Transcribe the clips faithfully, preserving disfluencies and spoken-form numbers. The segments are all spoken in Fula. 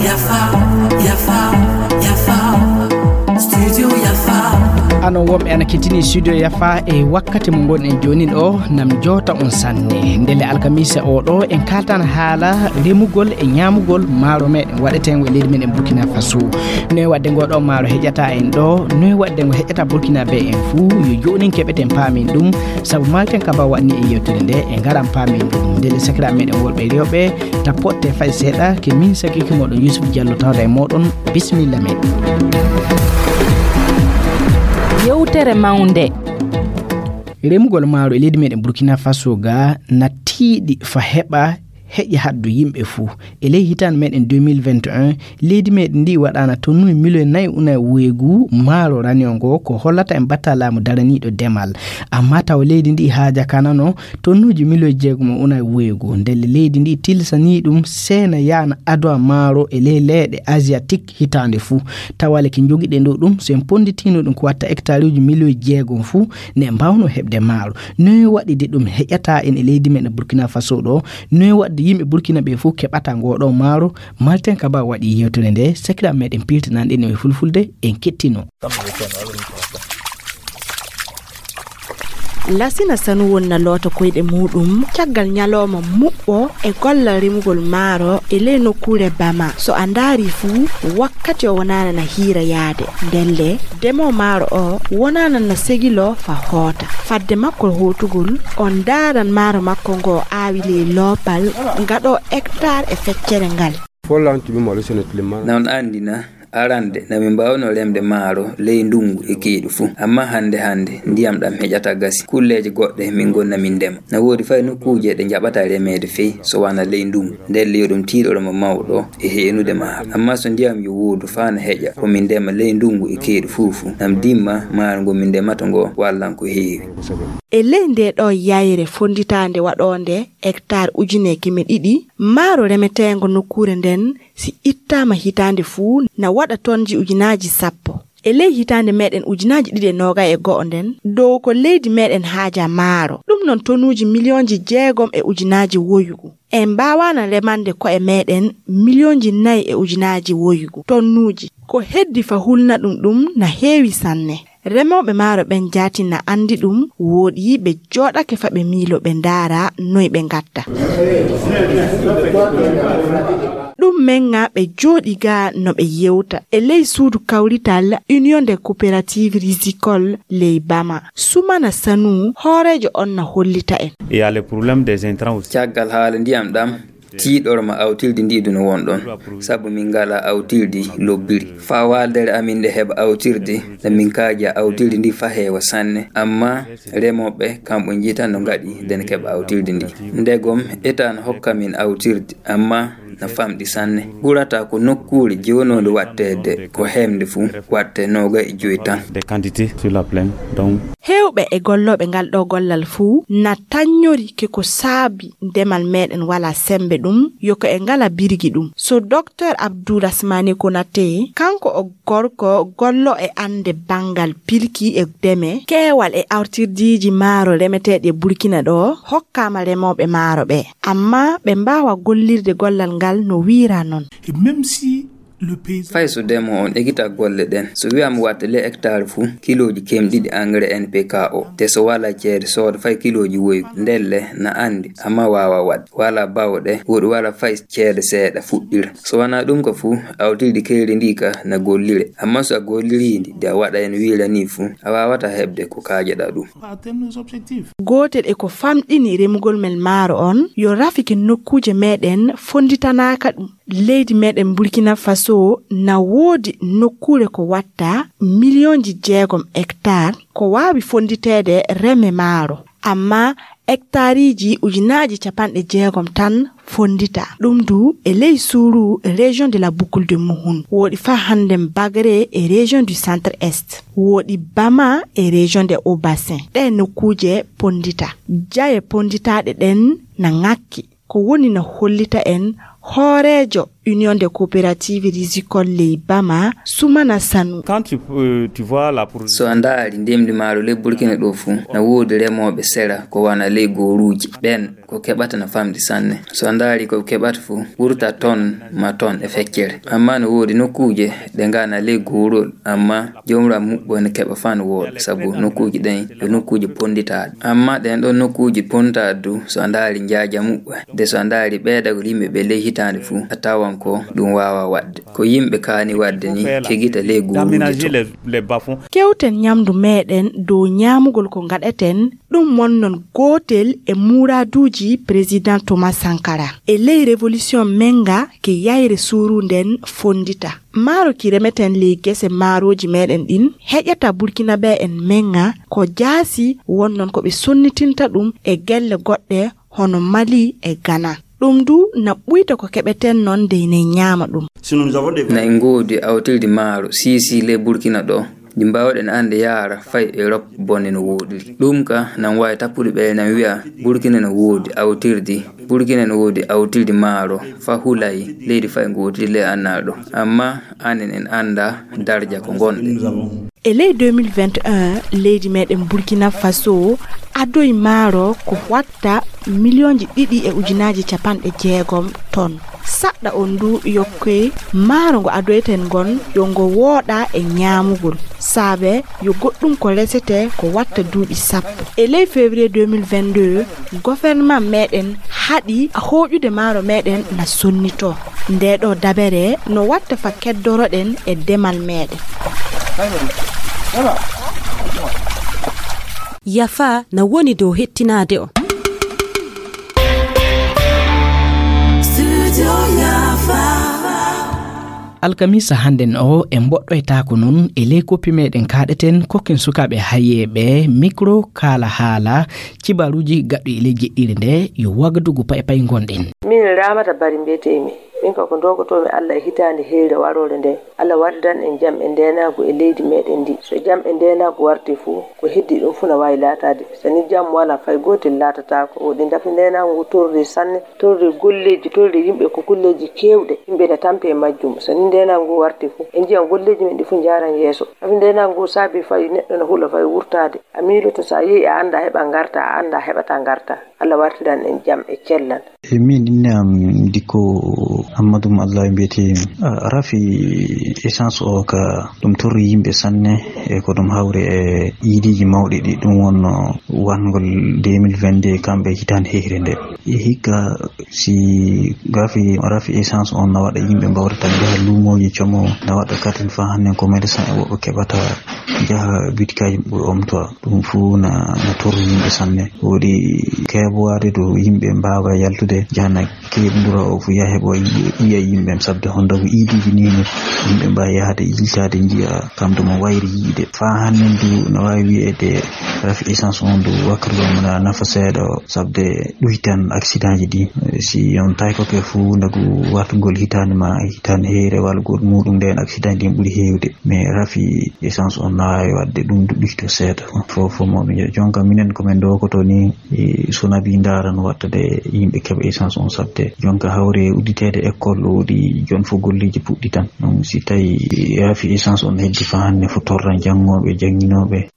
Yafa, yafa, yafa. Studio yafa. Anon wonɓe ana kettini studio yafa e wakkati mo ngon en joni ɗo, nam jota on sanne. Ndele alkamisa o ɗo en kaltan haala remugol e ñamugol maaro meɗen waɗeten e leydi meɗen Burkina Faso. Noy waɗde ngo ɗo maaro heƴata en ɗo, noy waɗde ngo heƴata Burkina be en fuu, yo jonin keɓeten paamin ɗum. Sabu malten kaba waɗni e yewtere nde e ngaran paamin ɗum. Ndele sakira meɗen worɓe rewɓe, tappotte fay seeɗa ke min sakiki moɗon Yusuf Diallo tawda e moɗon. Bismillah meɗen. Yewtere mawnde. Remugol maaro e leydi meɗen Burkina Faso ga na tiiɗi fa heɓa heƴi haddu yimɓe fuu. E ley hitaande meɗen deux mille vingt et un, leydi meɗen ndi waɗaana tonnuji miliyon nayi unay woygu maaro raniyo ngo, ko hollata en batta laamu daraniiɗo demal. Amma taw leydi ndi haaja kanano tonnuji miliyon jeegom unay woygu. Ndelle leydi ndi tilsanii ɗum seena yaana adowa maaro e ley leyɗe asiatique hitaande fuu. Tawale ki njogiɗen ɗo ɗum, so en ponnditiino ɗum ko watta hectare uji miliyon jeegom fuu, ne mbawno heɓde maaro. Noy waɗi de ɗum heƴata en e leydi men e Burkina Faso ɗo? Noy waɗde yimɓe Burkina ɓe fof keɓata ngo ɗo maaro? Malten Kaba waɗi yewtere nde, sakiraaɓe meɗen piltinanɗe no e fulfulde, en kettino. Lasina Sanu wonna loota koyɗe muɗum caggal ñalooma muɓɓo e gollal remugol maaro e ley nokkuure Bama. So a ndaari fuu, wakkati o wonaana na hiira yaade. Ndelle, demoo maaro o wonaana na segiloo fa hoota. Fadde makko hootugol, o ndaaran maaro makko ngo aawi ley loopal ngaɗo hectare e feccere ngal. Na on anndi na, arande na min mbaawno remde maaro ley ndunngu e keeɗu fuu. Amma hannde hannde, ndiyam ɗam heƴata gasi. Kulleeje goɗɗe min ngonna min ndema. Na woodi fay nokkuuje ɗe njaɓata remeede fey so wanaa ley ndunngu. Ndelle yo ɗum tiiɗoro mo mawɗo e heenude maaro. Amma so ndiyam yo woodu faa na heƴa, ko min ndema ley ndunngu e keeɗu fuu fuu. Nam dimma maaro ngo min ndemata ngo wallan ko heewi. E ley ndee ɗoo yayre fonnditaande waɗoonde hectare ujune keme ɗiɗi, maaro remeteengo nokkuure nden, si ittaama hitaande fuu, na waɗa tonji ujunaaji sappo. E ley hitaande meɗen ujunaaji ɗiɗi e noogay e go'o nden, dow ko leydi meɗen haaja maaro. Ɗum non tonuuji miliyonji jeegom e ujunaaji woyugu. En mbaawaana remande ko'e meɗen miliyonji nayi e ujunaaji woyugu tonnuuji. Ko heddi fa hulna ɗum ɗum na heewi sanne. Remooɓe maaro ɓen jaati na anndi ɗum, wooɗi ɓe jooɗake fa ɓe miilo ɓe ndaara noy ɓe ngatta. Ɗum men ŋa ɓe jooɗi ga no ɓe yewta e ley suudu kawrital Union des Coopératives Rizicoles ley Bama. Sumana Sanu, hooreejo on na hollita en. Il y a le problème des intrants aussi. Caggal haala ndiyam ɗam, tiiɗorma awtirdi ndi duna won ɗon. Sabu min ngala awtirdi lobbiri. Faa waaldere amin nde heɓa awtirdi, nde min kaaja awtirdi ndi fa heewa sanne. Amma remooɓe, kamɓe njiitan no ngaɗi nden keɓa awtirdi ndi. Ndegom, eta no hokka min awtirdi, amma na famɗi sanne. Ɓurata ko nokkuure jewnonde waɗteede ko heemde fuu, waɗte noogay e joy tan. Des quantités sur la plaine, donc. Heewɓe e gollooɓe ngal ɗoo gollal fuu na tannyori ke ko saabi ndemal meɗen wala sembe ɗum, yo ko e ngala birgi ɗum. So Docteur Abdourahmane Konaté, kanko o gorko gollo e annde banngal pilki e deme, keewal e awtirdiiji maaro remeteeɗi e Burkina ɗo hokkaama remooɓe maaro ɓe. Amma ɓe mbaawa gollirde gollal ngal no wiira non. Et même si le paysan. Fay so demo on ekita golle ɗen, so wi'ama watte le hectare fuu kilooji kemɗiɗi engrais N P K o, te so wala ceede sooda fay kilooji woygu, ndelle na anndi, amma waawa waɗde. Wala bawɗe, woɗi wala fay ceede seeɗa fuɗɗira. So wanaa ɗum ka fuu, awtirdi keyri ndi ka na gollire. Amma so a golliri ndi, de a waɗa en wiira ni fuu, a waawata heɓde ko kaajaɗa ɗum. Pas atteindre nos objectifs. Gootel e ko famɗini remugol men maaro on, yo rafiki nokkuuje meɗen fonnditanaaka ɗum. Leydi meɗen Burkina Faso na woodi nokkuure ko watta miliyonji jeegom hectare ko waawi fonnditeede reme maaro. Amma hectareiji ujunaaji capanɗe jeegom tan fonndita. Ɗum du e ley suuru région de la Boucle de Mouhoun. Woɗi fa hannde Bagre e région du Centre Est. Woɗi Bama e région de Haut-Bassin. Ɗe nokkuuje ponndita. Jaye ponnditaaɗe ɗen na ŋakki. Ko woni na hollita en hooreejo Union des coopératives rizicoles ley Bama, Soumana Sanou. Quand tu, euh, tu vois la production. So a ndaari ndemri maaro ley Burkina ɗo fuu, na woodi remooɓe sera ko wona ley gooruuji. Ɓeen ko keɓata na famɗi sanne. So a ndaari ko ɓe keɓata fuu, ɓurta ton ma ton e feccere. Amma no woodi nokkuuje ɗe ngana ley goorol, amma jomra muɓɓo ne keɓa fan wooɗa, sabu nokkuuji ɗen yo nokkuuji ponditaaɗi. Amma ɗen ɗon nokkuuji ponditaaɗi du, so a ndaari njaaja muɓɓo, de so a ndaari ɓeydagol yimɓe ɓe ley hitaande fuu, a tawan ko ɗum waawa waɗde. Ko yimɓe kaani waɗde ni, kegita ley gooruuji to. Kewten ñamdu meɗen dow ñaamugol ko ngaɗeten, ɗum wonnon gootel e muuraaduuji Président Thomas Sankara. E ley révolution menga ke yayre suuru nden fondita. Maaro ki remeten ley gese maarooji meɗen ɗin, heƴata Burkinabe en menga ko jaasi wonnon ko ɓe sonnitinta ɗum e gelle goɗɗe hono Mali e Ghana. Ɗum du na ɓuyta ko keɓeten non dey ne ñaama ɗum. Na en ngoodi awtirdi maaro siisi ley Burkina ɗo, ndi mbaawɗen annde yaara fay Europe bone no wooɗiri. Ɗum ka nan waawi tappude ɓe nan wi'a Burkina no woodi awtirdi, Burkina no woodi awtirdi maaro fa hulay leydi fay ngootiri ley annaal ɗo. Amma anen en annda darja ko ngonɗen. E ley deux mille vingt et un, leydi meɗen Burkina Faso adoyi maaro ko watta miliyonji ɗiɗi e ujunaaji capanɗe jeegom ton. Saɗɗa on du yokkoy maaro ngo adoyten ngon yo ngo wooɗa e ñaamugol. Saabe yo goɗɗum ko resete ko watta duuɓi sappo. E ley février deux mille vingt-deux, gouvernement meɗen haɗi hooƴude maaro meɗen na sonnito. Nde ɗo dabere no watta fa keddoroɗen e demal meɗen. Yafa na woni dow hettinaade on. Alkamisa hannden o, en mboɗɗoytaako noon e ley koppi meɗen kaaɗeten kokken sukaaɓe hayeeɓe micro kaala haala cibaaruuji gaɗɗi e ley jeɗɗiire nde yo wagdugu pay pay ngonɗen. Min Ramata Bari mbiyetee-mi. Min ka ko ndogotoo-mi Allah e hitaande heyre waroore nde. Allah wartiran en jam e ndeenaagu e leydi meɗen ndi. So jam e ndeenaagu warti fuu, ko heddi ɗum fuu na waawi laataade. So ni jam walaa, fay gootel laatataako. Woɗi ndafi ndeenaagu ngu torri sanne, torri golleeji, torri yimɓe ko golleeji keewɗe. Yimɓe na tampi e majjum. So ni ndeenaagu ngu warti fuu, en njiyan golleeji men ɗi fuu njaaran yeeso. Sabi ndeenaagu ngu saabi fay neɗɗo na hula fay wurtaade. A miiloto so a yehi a annda heɓa ngarta, a annda heɓata ngarta. Allah wartiran en jam e cellal. E min, inne am Dikko Ammadu mo Allah mbiyetee. Ah, rafi essence o ka ɗum torri yimɓe sanne, e ko ɗum hawri e iidiiji mawɗi ɗi ɗum wonno wangol deux mille vingt-deux kamɓe hitaande heyre nde. E hikka si gafi rafi essence on na waɗa yimɓe mbawrata njaha luumooji como, na waɗa katin fa hannden commerçant e woɓɓe keɓata njaha bitikaaji ɓuri omtoa. Ɗum fuu na, na torri yimɓe sanne. Woɗi keeɓowaade to yimɓe mbaawa yaltude, jahana keeɓndura o fuu yaha heɓo yiya yimɓe, sabde honda ko iidiiji ni no yimɓe mbaawa yahde yiltaade njiya kam to mo wayri yiide. Faa hannden du no waawi wiyeede rafi essence on du wakkati ɗum na nafa seeɗa o, sabde ɗuytan accidentji ɗi. Si on tawi ko ke fuu ndagu wartugol hitaande ma hitaande heyre walla goɗɗum muɗum nden accidentji ɗin ɓuri heewde. Mais rafi essence on na waawi waɗde ɗum du ɗuyto seeɗa. Fof fof mo ɓe jonka minen ko min dogoto ni, e so nabi ndaara no watta de yimɓe keɓa essence on sabde. Jonka hawre udditeede école o woɗi jon fof golleeji puɗɗi tan. Donc si tawi rafi essence on heddi fa hannden fof torran janngooɓe, jannginooɓe.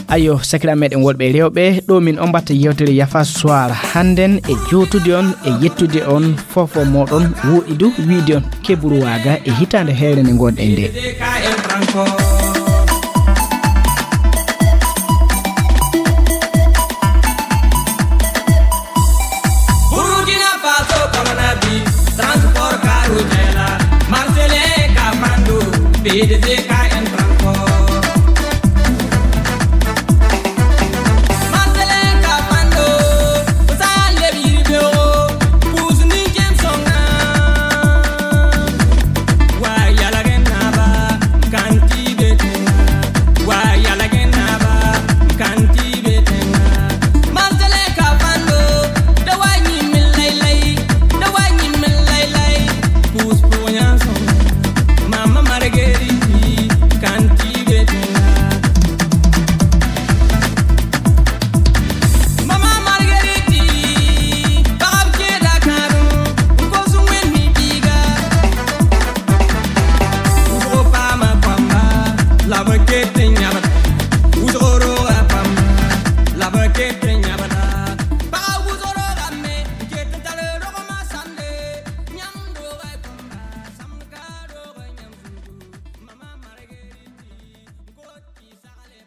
Ayo, sakiraaɓe meɗen worɓe e rewɓe, ɗo min ommbata yewtere Yafa Soir hannden e jootude on e yettude on fof fof moɗon, woɗi du wiide on keɓru waaga e hitaande heyre nde ngonɗen nde. Burkina Faso, Kamanabi, transport, carrousel, Marseille, Kamando, P D C,